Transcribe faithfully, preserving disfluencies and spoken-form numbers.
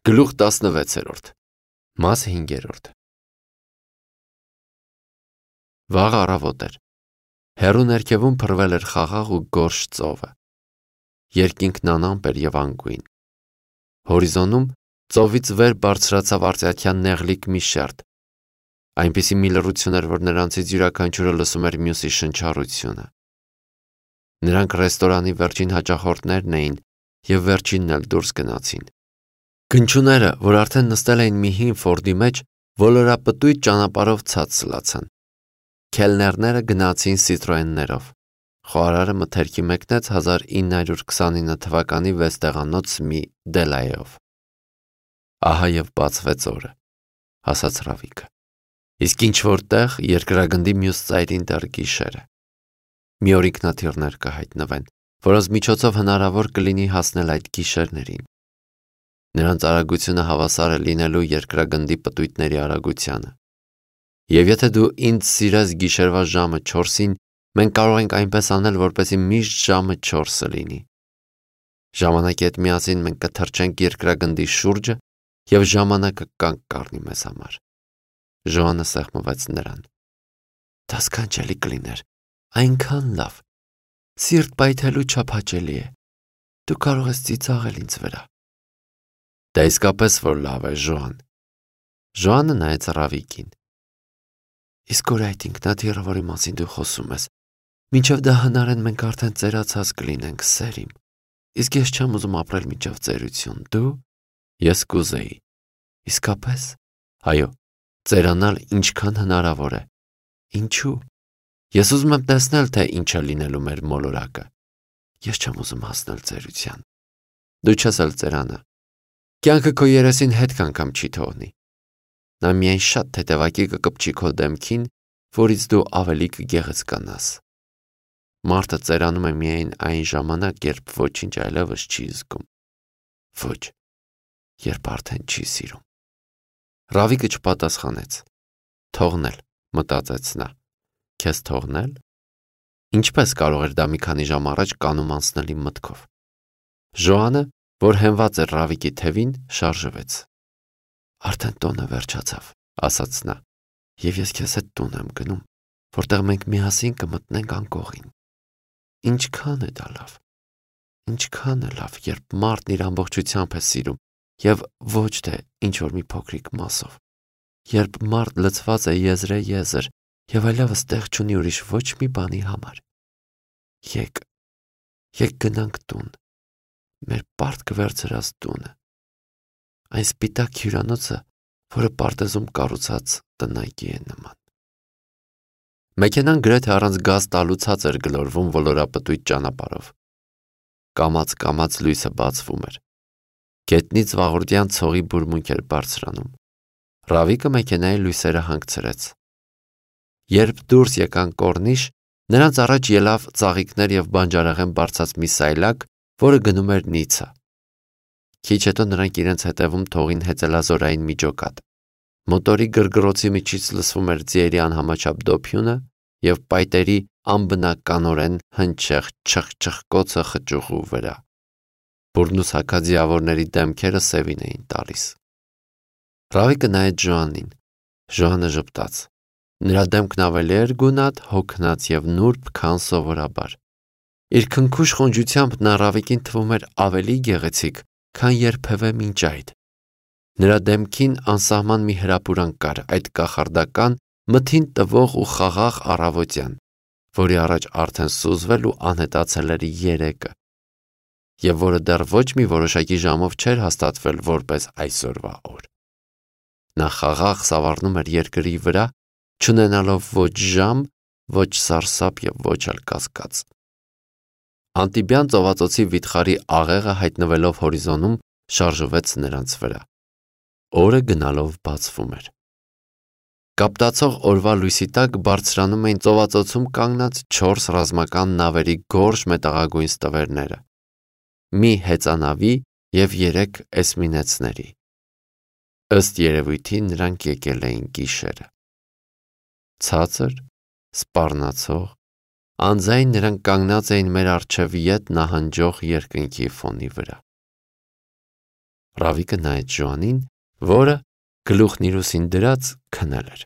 Գլուխ տասնվեցերորդ Մաս հինգերորդ Վաղ առավոտ էր։ Հեռու ներքևում փռվել էր խաղաղ ու գորշ ծովը։ Երկինքն անամպ էր և անգույն։ Հորիզոնում ծովից վեր բարձրացավ արծաթյան նեղլիկ մի շերտ, այնպիսի մի լռություն էր, որ նրանցից յուրաքանչյուրը լսում էր մյուսի շնչառությունը։ Նրանք ռեստորանի վերջին հաճախորդներն էին և վերջինն էլ դուրս գնացին։ Գնչուները, որ արդեն նստել էին մի հին ֆորդի մեջ, ոլորապտույտ ճանապարհով ցած սլացան։ Քելներները գնացին Citroën-ներով։ Խոհարարը մթերքի մեկնեց հազար ինը հարյուր քսանինը թվականի վեց մի Դելայով։ Ահա և բացվեց օրը, ասաց Ռավիկը։ Իսկ ինչ-որ տեղ երկրագնդի մյուս ծայրին դեռ գիշեր է։ Մի օր ինքնաթիռներ կհայտնվեն, որոնց միջոցով հնարավոր կլինի հասնել այդ գիշերներին։ Նրանց արագությունը հավասար է լինելու երկրագնդի պտույտների արագությանը։ Եվ եթե դու ինձ սիրես գիշերվա ժամը չորսին, մենք կարող ենք այնպես անել, որպեսզի միշտ ժամը չորսը լինի։ Ժամանակի հետ միասին մենք կթռչենք երկրագնդի շուրջը և ժամանակը կանգ կառնի մեզ համար։ Ժոանը սեղմվեց նրան։ Դա սքանչելի կլիներ, այնքան լավ, սիրտ պայթելու չափ հաճելի է։ Դու կարող ես ծիծաղել ինձ վրա։ Դա իսկապես որ լավ է, Ժոան։ Ժոանը նայեց Ռավիկին։ Իսկ որ այդ ինքնաթիռը, որի մասին դու խոսում ես, մինչև դա հնարեն մենք արդեն ծերացած կլինենք, սերիմ։ Իսկ ես չեմ ուզում ապրել մինչև ծերություն, դու։ Ես կուզեի։ Իսկապես։ Այո, ծերանալ ինչքան հնարավոր է։ Ինչու։ Ես ուզում եմ տեսնել, թե ինչ է լինելու մեր մոլորակը։ Ես չեմ ուզում հասնել ծերության։ Դու չես էլ ծերանը։ Կյանքը քո երեսին հետք անգամ չի թողնի։ Նա միայն շատ թեթևակի կկպչի քո դեմքին, որից դու ավելի կգեղեցկանաս։ Մարդը ծերանում է միայն այն ժամանակ, երբ ոչինչ այլևս չի զգում։ Ոչ, երբ արդեն չի սիրում։ Ռավիկը չպատասխանեց։ Թողնել, մտածեց նա։ Քեզ թողնել։ Ինչպես կարող էր դա մի քանի ժամ առաջ կանում անցնել իմ մտքով։ Ժոանը, որ հենված էր Ռավիկի թևին, շարժվեց։ Արդեն տոնը վերջացավ, ասաց նա, և ես քեզ հետ տուն եմ գնում, որտեղ մենք միասին կմտնենք անկողին։ Ինչքան է դա լավ։ Ինչքան է լավ, երբ մարդն իր ամբողջությամբ է սիրում, և ոչ թե ինչ-որ մի փոքրիկ մասով։ Երբ մարդ լցված է եզրե-եզր և այլևս տեղ չունի ուրիշ ոչ մի բանի համար։ Եկ, եկ գնանք տուն, մեր պարտք վերցրած տունը, այն սպիտակ հյուրանոցը, որը պարտեզում կառուցած տնայքի է նման։ Մեքենան գրեթե առանց գազ տալու ցած էր գլորվում ոլորապտույտ ճանապարհով։ Կամաց-կամաց լույսը բացվում էր։ Գետնից վաղորդյան ցողի բուրմունք էր բարձրանում։ Ռավիկը մեքենայի լույսերը հանգցրեց։ Երբ դուրս եկան կորնիշ, նրանց առաջ ելավ ծաղիկներ և բանջարեղեն բարձած մի սայլակ, որը գնում էր Նիցա։ Քիչ հետո նրանք իրենց հետևում թողին հեծելազորային միջոկատ։ Մոտորի գրգռոցի միջից լսվում էր ձիերի անհամաչափ դոփյունը և պայտերի անբնականորեն հնչեղ չխչխկոցը խճուղու վրա։ Բուրնուսակա ձիավորների դեմքերը սևին էին տալիս։ Ռավիկը նայեց Ժոանին։ Ժոանը ժպտաց։ Նրա դեմքն ավելի էր գունատ, հոգնած և նուրբ, քան սովորաբար։ Իր քնքուշ խոնջությամբ նա Ռավիկին թվում էր ավելի գեղեցիկ, քան երբևէ մինչ այդ։ Նրա դեմքին անսահման մի հրապուրանք կար, այդ կախարդական, մթին տվող ու խաղաղ առավոտյան, որի առաջ արդեն սուզվել ու անհետացել էր երեկը, և որը դեռ ոչ մի որոշակի ժամով չէր հաստատվել որպես այսօրվա օր։ Նա խաղաղ սավառնում էր երկրի վրա, չունենալով ոչ ժամ, ոչ սարսափ և ոչ էլ կասկած։ Անտիբյան ծովածոցի վիթխարի աղեղը հայտնվելով հորիզոնում շարժվեց նրանց վրա։ Օրը գնալով բացվում էր։ Կապտացող օրվա լույսի տակ բարձրանում էին ծովածոցում կանգնած չորս ռազմական նավերի գորշ մետաղագույն ստվերները, մի հեծանավի և երեք էսմինեցների։ Ըստ երևույթի նրանք եկել էին գիշերը։ Ցածր, սպառնացող, անձայն նրանք կանգնած էին մեր առջև ետ նահանջող երկնքի ֆոնի վրա։ Ռավիկը նայեց Ժոանին, որը գլուխն իր ուսին դրած քնել էր։